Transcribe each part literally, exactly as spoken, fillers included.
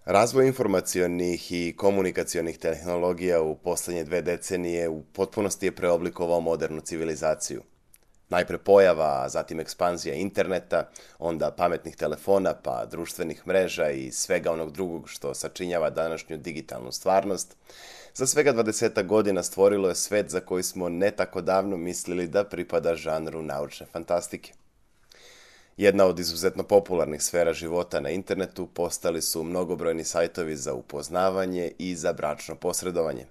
Razvoj informacionih i komunikacionih tehnologija u posljednje dve decenije u potpunosti je preoblikovao modernu civilizaciju. Najpre pojava, a zatim ekspanzija interneta, onda pametnih telefona, pa društvenih mreža i svega onog drugog što sačinjava današnju digitalnu stvarnost, za svega dvadesetak godina stvorilo je svet za koji smo ne tako davno mislili da pripada žanru naučne fantastike. Jedna od izuzetno popularnih sfera života na internetu postali su mnogobrojni sajtovi za upoznavanje i za bračno posredovanje.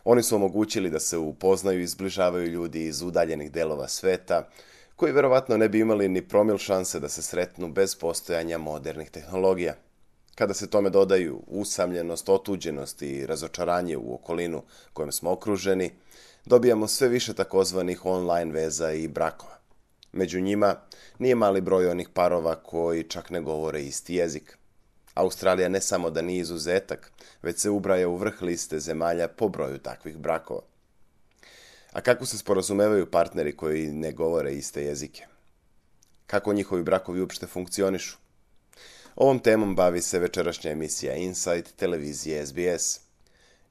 Oni su omogućili da se upoznaju i zbližavaju ljudi iz udaljenih delova sveta, koji verovatno ne bi imali ni promil šanse da se sretnu bez postojanja modernih tehnologija. Kada se tome dodaju usamljenost, otuđenost i razočaranje u okolinu kojom smo okruženi, dobijamo sve više takozvanih online veza i brakova. Među njima nije mali broj onih parova koji čak ne govore isti jezik. Australija ne samo da nije izuzetak, već se ubraja u vrh liste zemalja po broju takvih brakova. A kako se sporazumevaju partneri koji ne govore iste jezike? Kako njihovi brakovi uopšte funkcionišu? Ovom temom bavi se večerašnja emisija Insight televizije S B S.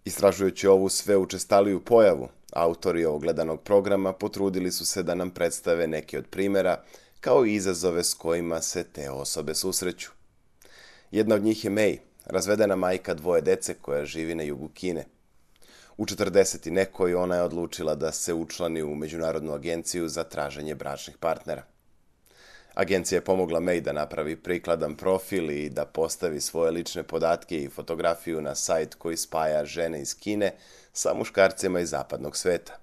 Istražujući ovu sve učestaliju pojavu, autori ovog gledanog programa potrudili su se da nam predstave neki od primjera, kao i izazove s kojima se te osobe susreću. Jedna od njih je May, razvedena majka dvoje dece koja živi na jugu Kine. U četrdeset i nekoj ona je odlučila da se učlani u Međunarodnu agenciju za traženje bračnih partnera. Agencija je pomogla May da napravi prikladan profil i da postavi svoje lične podatke i fotografiju na sajt koji spaja žene iz Kine sa muškarcima iz zapadnog sveta.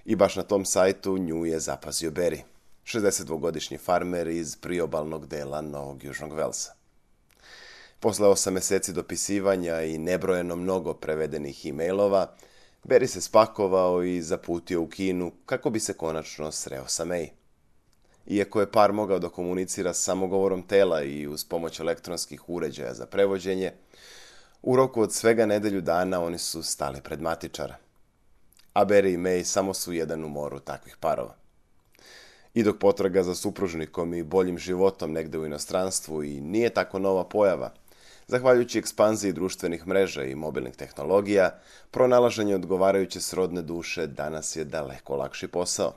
I baš na tom sajtu nju je zapazio Barry, šezdesetdvogodišnji farmer iz priobalnog dela Novog Južnog Velsa. Posle osam meseci dopisivanja i nebrojeno mnogo prevedenih e-mailova, Barry se spakovao i zaputio u Kinu kako bi se konačno sreo sa May. Iako je par mogao da komunicira samo govorom tela i uz pomoć elektronskih uređaja za prevođenje, u roku od svega nedelju dana oni su stali pred matičara. A Barry i May samo su jedan u moru takvih parova. I dok potraga za supružnikom i boljim životom negde u inostranstvu i nije tako nova pojava, zahvaljujući ekspanziji društvenih mreža i mobilnih tehnologija, pronalaženje odgovarajuće srodne duše danas je daleko lakši posao.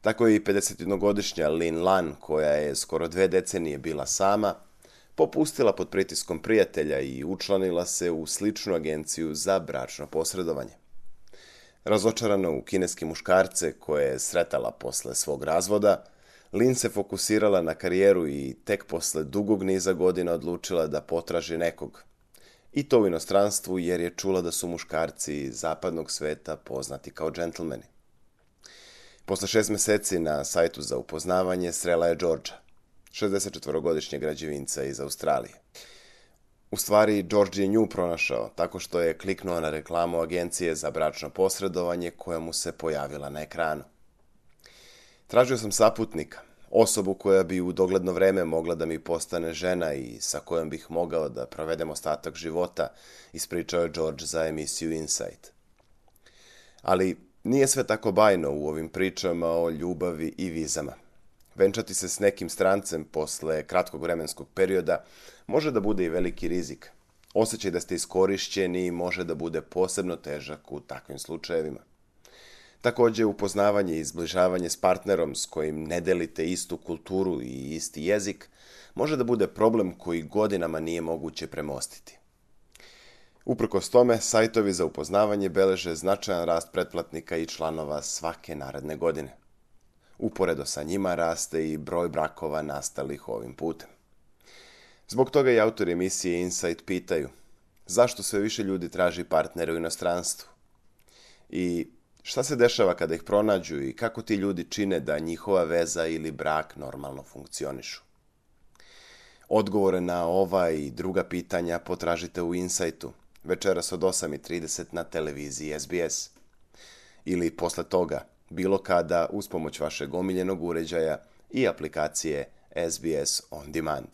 Tako je i pedesetjednogodišnja Lin Lan, koja je skoro dve decenije bila sama, popustila pod pritiskom prijatelja i učlanila se u sličnu agenciju za bračno posredovanje. Razočarana u kineske muškarce koje je sretala posle svog razvoda, Lin se fokusirala na karijeru i tek posle dugog niza godina odlučila da potraži nekog. I to u inostranstvu jer je čula da su muškarci iz zapadnog sveta poznati kao džentlmeni. Posle šest meseci na sajtu za upoznavanje srela je Georgea, šezdesetčetvorogodišnjeg građevinca iz Australije. U stvari, George je nju pronašao tako što je kliknuo na reklamu agencije za bračno posredovanje koja mu se pojavila na ekranu. Tražio sam saputnika, osobu koja bi u dogledno vreme mogla da mi postane žena i sa kojom bih mogao da provedem ostatak života, ispričao je George za emisiju Insight. Ali nije sve tako bajno u ovim pričama o ljubavi i vizama. Venčati se s nekim strancem posle kratkog vremenskog perioda može da bude i veliki rizik. Osjećaj da ste iskorišćeni može da bude posebno težak u takvim slučajevima. Takođe, upoznavanje i zbližavanje s partnerom s kojim ne delite istu kulturu i isti jezik može da bude problem koji godinama nije moguće premostiti. Uprkos tome, sajtovi za upoznavanje beleže značajan rast pretplatnika i članova svake naredne godine. Uporedo sa njima raste i broj brakova nastalih ovim putem. Zbog toga i autori emisije Insight pitaju zašto sve više ljudi traži partnere u inostranstvu i šta se dešava kada ih pronađu i kako ti ljudi čine da njihova veza ili brak normalno funkcionišu. Odgovore na ova i druga pitanja potražite u Insightu večeras od osam i trideset na televiziji S B S ili posle toga bilo kada uz pomoć vašeg omiljenog uređaja i aplikacije S B S On Demand.